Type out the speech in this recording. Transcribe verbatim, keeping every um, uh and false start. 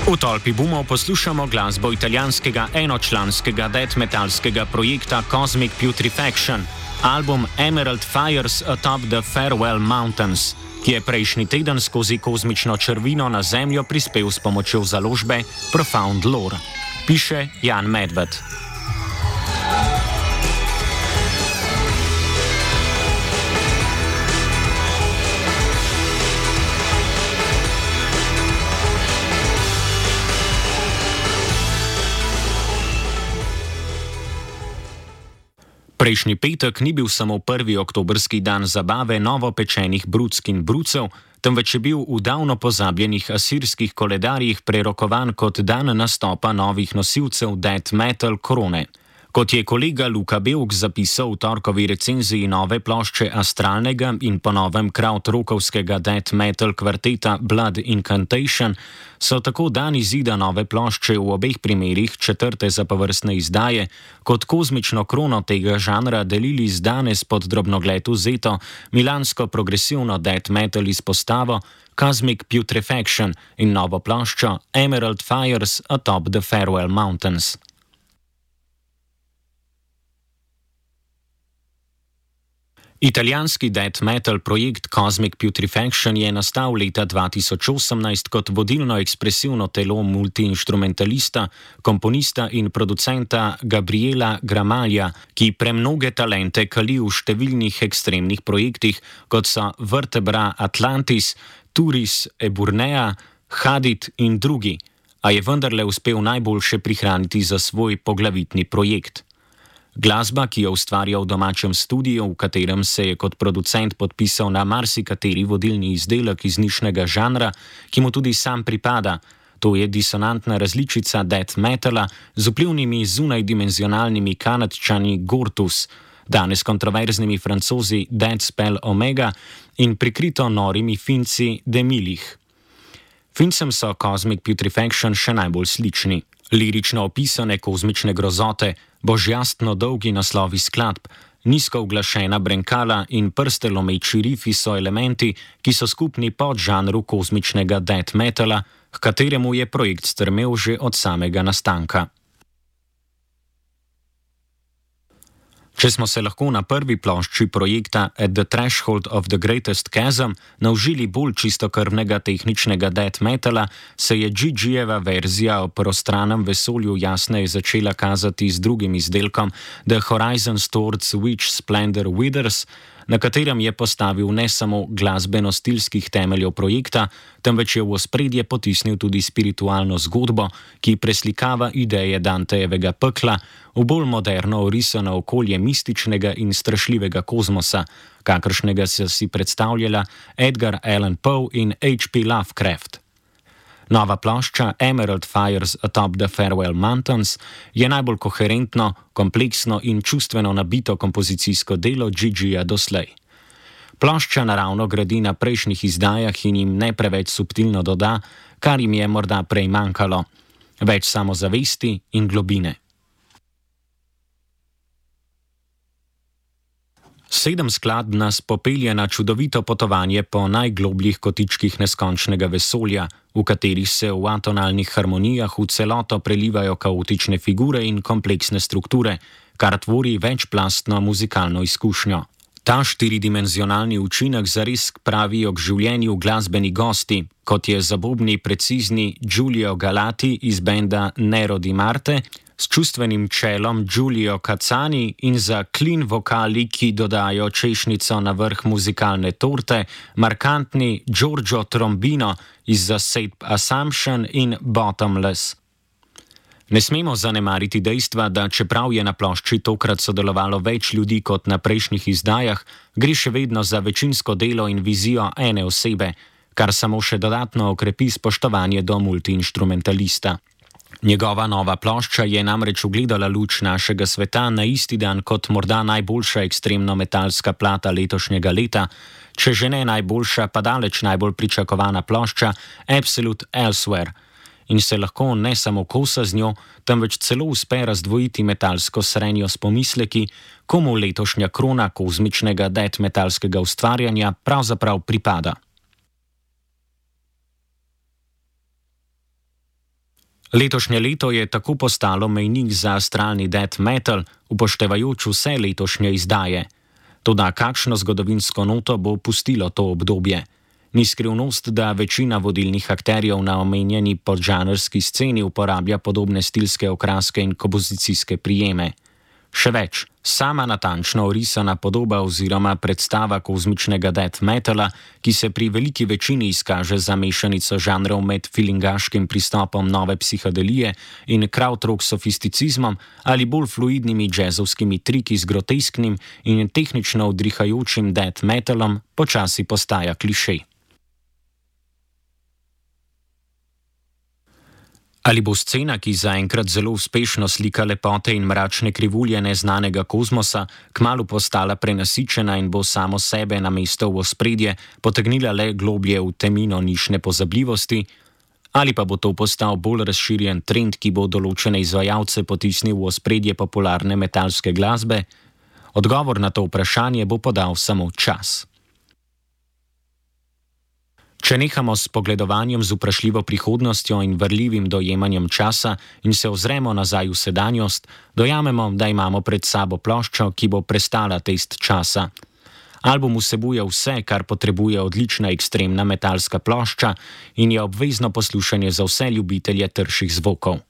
V tolpi bumov poslušamo glasbo italijanskega enočlanskega death metalskega projekta Cosmic Putrefaction, album Emerald Fires Atop the Farewell Mountains, ki je prejšnji teden skozi kozmično črvino na Zemljo prispel s pomočjo založbe Profound Lore, piše Jan Medved. Prejšnji petek ni bil samo prvi oktobrski dan zabave novopečenih bruck in brucev, temveč je bil v davno pozabljenih asirskih koledarjih prerokovan kot dan nastopa novih nosilcev death metal korone. Kot je kolega Luka Belk zapisal v torkovi recenziji nove plošče astralnega in po novem krautrokovskega death metal kvarteta Blood Incantation, so tako dan izida nove plošče v obeh primerih četrte zapovrstne izdaje kot kozmično krono tega žanra delili z danes pod drobnogled vzeto milansko progresivno death metal izpostavo Cosmic Putrefaction in novo ploščo Emerald Fires Atop the Farewell Mountains. Italijanski death metal projekt Cosmic Putrefaction je nastal leta dva tisoč osemnajst kot vodilno ekspresivno telo multiinštrumentalista, komponista in producenta Gabriela Gramaglia, ki premnoge talente kali v številnih ekstremnih projektih, kot so Vertebra Atlantis, Turis Eburnea, Hadid in drugi, a je vendarle uspel najboljše prihraniti za svoj poglavitni projekt. Glasba, ki jo ustvarja v domačem studiu, v katerem se je kot producent podpisal na marsikateri vodilni izdelek iz nišnega žanra, ki mu tudi sam pripada, to je disonantna različica death metala z vplivnimi zunajdimenzionalnimi kanadčani Gortus, danes kontroverznimi Francozi Dead Spell Omega in prikrito norimi Finci Demilih. Fincem so Cosmic Putrefaction še najbolj slični. Lirično opisane kozmične grozote, božjastno dolgi naslovi skladb, nizko uglašena brenkala in prste lomeči rifi so elementi, ki so skupni podžanru kozmičnega death metala, k kateremu je projekt strmel že od samega nastanka. Če smo se lahko na prvi plošči projekta At the Threshold of the Greatest Chasm naužili bolj čistokrvnega tehničnega death metala, se je G G-jeva verzija o prostranem vesolju jasneje začela kazati z drugim izdelkom The Horizons Towards Which Splendor Withers, na katerem je postavil ne samo glasbeno-stilskih temeljev projekta, temveč je v ospredje potisnil tudi spiritualno zgodbo, ki preslikava ideje Dantejevega pekla v bolj moderno orisano okolje mističnega in strašljivega kozmosa, kakršnega se si predstavljala Edgar Allan Poe in H P Lovecraft. Nova plošča Emerald Fires Atop the Farewell Mountains je najbolj koherentno, kompleksno in čustveno nabito kompozicijsko delo G G-ja doslej. Plošča naravno gradi na prejšnjih izdajah in jim ne preveč subtilno doda, kar jim je morda prej manjkalo, več samozavesti in globine. Sedem skladb nas popelje na čudovito potovanje po najglobljih kotičkih neskončnega vesolja, v katerih se v atonalnih harmonijah v celoto prelivajo kaotične figure in kompleksne strukture, kar tvori večplastno muzikalno izkušnjo. Ta štiridimenzionalni učinek zares pravijo k življenju glasbeni gosti, kot je zabobni precizni Giulio Galati iz benda Nero di Marte, s čustvenim čelom Giulio Cazzani in za clean vokali, ki dodajo češnjico na vrh muzikalne torte, markantni Giorgio Trombino iz zasedb Assumption in Bottomless. Ne smemo zanemariti dejstva, da čeprav je na plošči tokrat sodelovalo več ljudi kot na prejšnjih izdajah, gre še vedno za večinsko delo in vizijo ene osebe, kar samo še dodatno okrepi spoštovanje do multiinštrumentalista. Njegova nova plošča je namreč ugledala luč našega sveta na isti dan kot morda najboljša ekstremno-metalska plata letošnjega leta, če že ne najboljša, pa daleč najbolj pričakovana plošča Absolute Elsewhere, in se lahko ne samo kosa z njo, temveč celo uspe razdvojiti metalsko srenjo s pomisleki, komu letošnja krona kozmičnega death metalskega ustvarjanja pravzaprav pripada. Letošnje leto je tako postalo mejnik za astralni death metal, upoštevajoč vse letošnje izdaje. Toda kakšno zgodovinsko noto bo pustilo to obdobje? Ni skrivnost, da večina vodilnih akterjev na omenjeni podžanrski sceni uporablja podobne stilske okraske in kompozicijske prijeme. Še več, sama natančno orisana podoba oziroma predstava kozmičnega death metala, ki se pri veliki večini izkaže za mešanico žanrov med filingaškim pristopom nove psihodelije in krautrock sofisticizmom ali bolj fluidnimi džezovskimi triki z grotesknim in tehnično udrihajočim death metalom, počasi postaja klišej. Ali bo scena, ki zaenkrat zelo uspešno slika lepote in mračne krivulje neznanega kozmosa, kmalu postala prenasičena in bo samo sebe na mesto v ospredje potegnila le globlje v temino nišne pozabljivosti, ali pa bo to postal bolj razširjen trend, ki bo določene izvajalce potisnil v ospredje popularne metalske glasbe? Odgovor na to vprašanje bo podal samo čas. Če nehamo s pogledovanjem z vprašljivo prihodnostjo in vrljivim dojemanjem časa in se ozremo nazaj v sedanjost, dojamemo, da imamo pred sabo ploščo, ki bo prestala test časa. Album vsebuje vse, kar potrebuje odlična ekstremna metalska plošča in je obvezno poslušanje za vse ljubitelje trših zvokov.